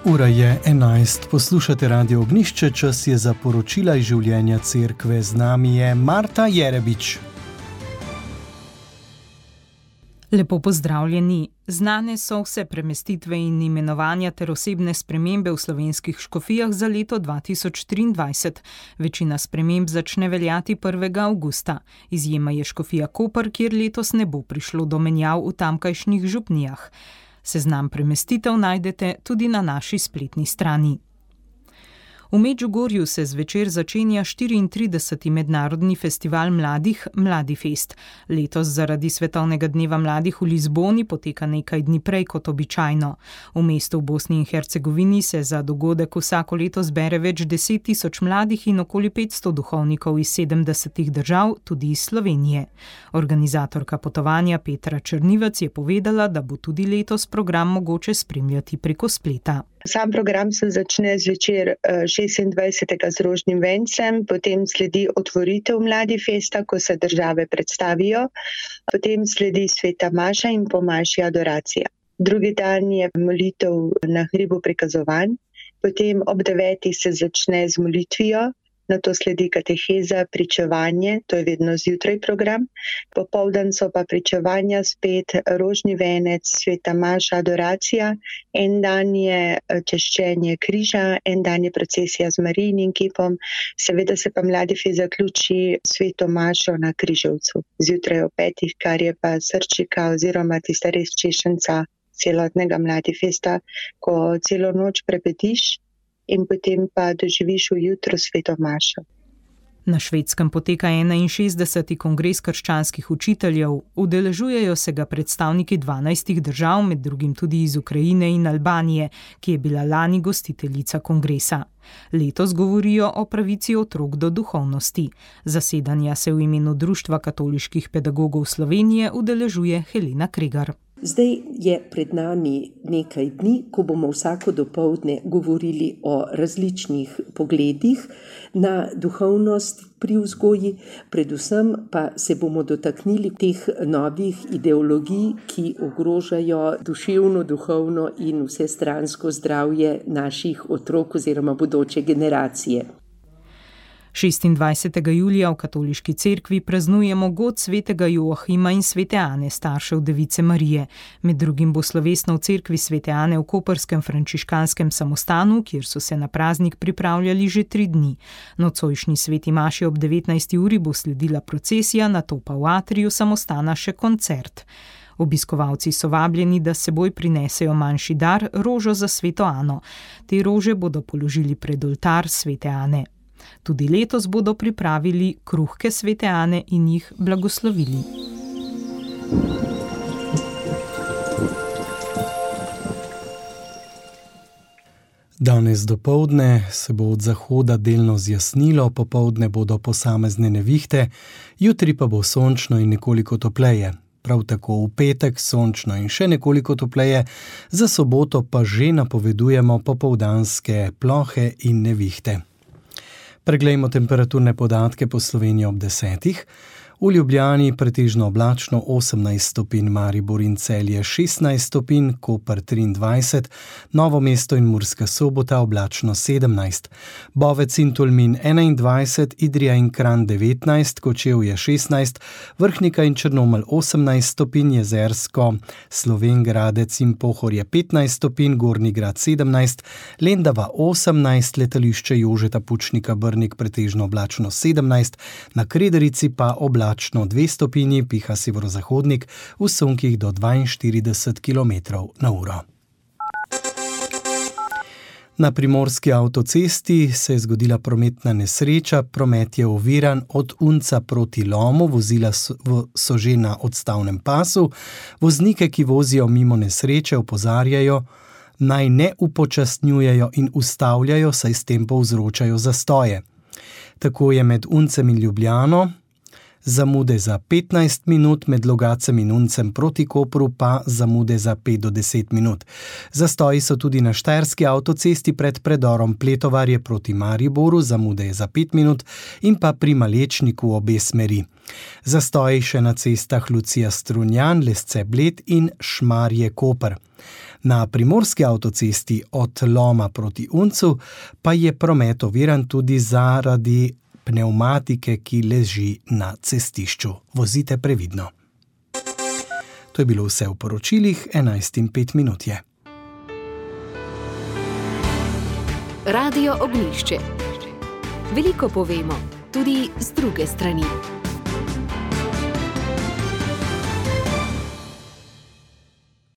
Ura je 11, poslušate Radio Ognjišče, čas je za poročila iz življenja cerkve. Z nami je Marta Jerebič. Lepo pozdravljeni. Znane so vse premestitve in imenovanja ter osebne spremembe v slovenskih škofijah za leto 2023. Večina sprememb začne veljati 1. avgusta. Izjema je škofija Koper, kjer letos ne bo prišlo do menjav v tamkajšnjih župnijah. Seznam premestitev najdete tudi na naši spletni strani. V Medžugorju se zvečer začenja 34. mednarodni festival mladih Mladifest. Letos zaradi Svetovnega dneva mladih v Lizboni poteka nekaj dni prej kot običajno. V mestu v Bosni in Hercegovini se za dogodek vsako leto zbere več 10.000 mladih in okoli 500 duhovnikov iz 70 držav, tudi iz Slovenije. Organizatorka potovanja Petra Črnivec je povedala, da bo tudi letos program mogoče spremljati preko spleta. Sam program se začne zvečer 26. z rožnim vencem, potem sledi otvoritev Mladifesta, ko se države predstavijo, potem sledi sveta maša in po maši adoracija. Drugi dan je molitev na hribu prikazovanj, potem ob 9. se začne z molitvijo, nato sledi kateheza, pričevanje, to je vedno zjutraj program, popoldan so pa pričevanja spet, rožni venec, sveta maša, adoracija, en dan je češčenje križa, en dan je procesija z Marijinim kipom, seveda se pa Mladifest zaključi sveto mašo na Križevcu, zjutraj ob 5, kar je pa srčika oziroma tista res češenca celotnega Mladifesta, ko celo noč prepetiš in potem pa doživiš v jutro sveto mašo. Na Švedskem poteka 61. kongres krščanskih učiteljev. Udeležujejo se ga predstavniki 12 držav, med drugim tudi iz Ukrajine in Albanije, ki je bila lani gostiteljica kongresa. Letos govorijo o pravici otrok do duhovnosti. Zasedanja se v imenu Društva katoliških pedagogov Slovenije udeležuje Helena Kregar. Zdaj je pred nami nekaj dni, ko bomo vsako dopoldne govorili o različnih pogledih na duhovnost pri vzgoji, predvsem pa se bomo dotaknili teh novih ideologij, ki ogrožajo duševno, duhovno in vsestransko zdravje naših otrok oziroma bodoče generacije. 26. julija v katoliški cerkvi praznujemo god svetega Joahima in svete Ane, staršev Device Marije. Med drugim bo slovesno v cerkvi svete Ane v koperskem frančiškanskem samostanu, kjer so se na praznik pripravljali že 3 dni. Nocojšnji sveti maši ob 19. uri bo sledila procesija, nato pa v atriju samostana še koncert. Obiskovalci so vabljeni, da s seboj prinesejo manjši dar, rožo za sveto Ano. Te rože bodo položili pred oltar svete Ane. Tudi letos bodo pripravili kruhke svete Ane in jih blagoslovili. Danes dopoldne se bo od zahoda delno zjasnilo, popoldne bodo posamezne nevihte, jutri pa bo sončno in nekoliko topleje. Prav tako v petek sončno in še nekoliko topleje, za soboto pa že napovedujemo popoldanske plohe in nevihte. Preglejmo temperaturne podatke po Sloveniji ob 10. V Ljubljani pretežno oblačno 18 stopinj, Maribor in Celje 16 stopinj, Koper 23, Novo mesto in Murska Sobota oblačno 17, Bovec in Tolmin 21, Idrija in Kranj 19, Kočevje 16, Vrhnika in Črnomelj 18 stopinj, Jezersko, Slovenj Gradec in Pohorje 15 stopinj, Gornji Grad 17, Lendava 18, Letališče Jožeta Pučnika Brnik pretežno oblačno 17, na Krederici pa oblačno 2 stopinji, piha severozahodnik v sunkih do 42 km/h. Na primorski avtocesti se je zgodila prometna nesreča, promet je oviran od Unca proti Lomu, vozila so že na odstavnem pasu. Voznike, ki vozijo mimo nesreče, opozarjajo, naj ne upočasnjujejo in ustavljajo, saj s tem povzročajo zastoje. Tako je med Uncem in Ljubljano zamude za 15 minut, med Logatcem in Uncem proti Kopru pa zamude za 5 do 10 minut. Zastoji so tudi na štajerski avtocesti pred predorom Pletovarje proti Mariboru, zamude je za 5 minut, in pa pri Malečniku obe smeri. Zastoji še na cestah Lucija-Strunjan, Lesce-Bled in Šmarje-Koper. Na primorski avtocesti od Loma proti Uncu pa je promet oviran tudi zaradi pnevmatike, ki leži na cestišču. Vozite previdno. To je bilo vse v poročilih, 11:05 je. Radio Ognjišče. Veliko povemo, tudi z druge strani.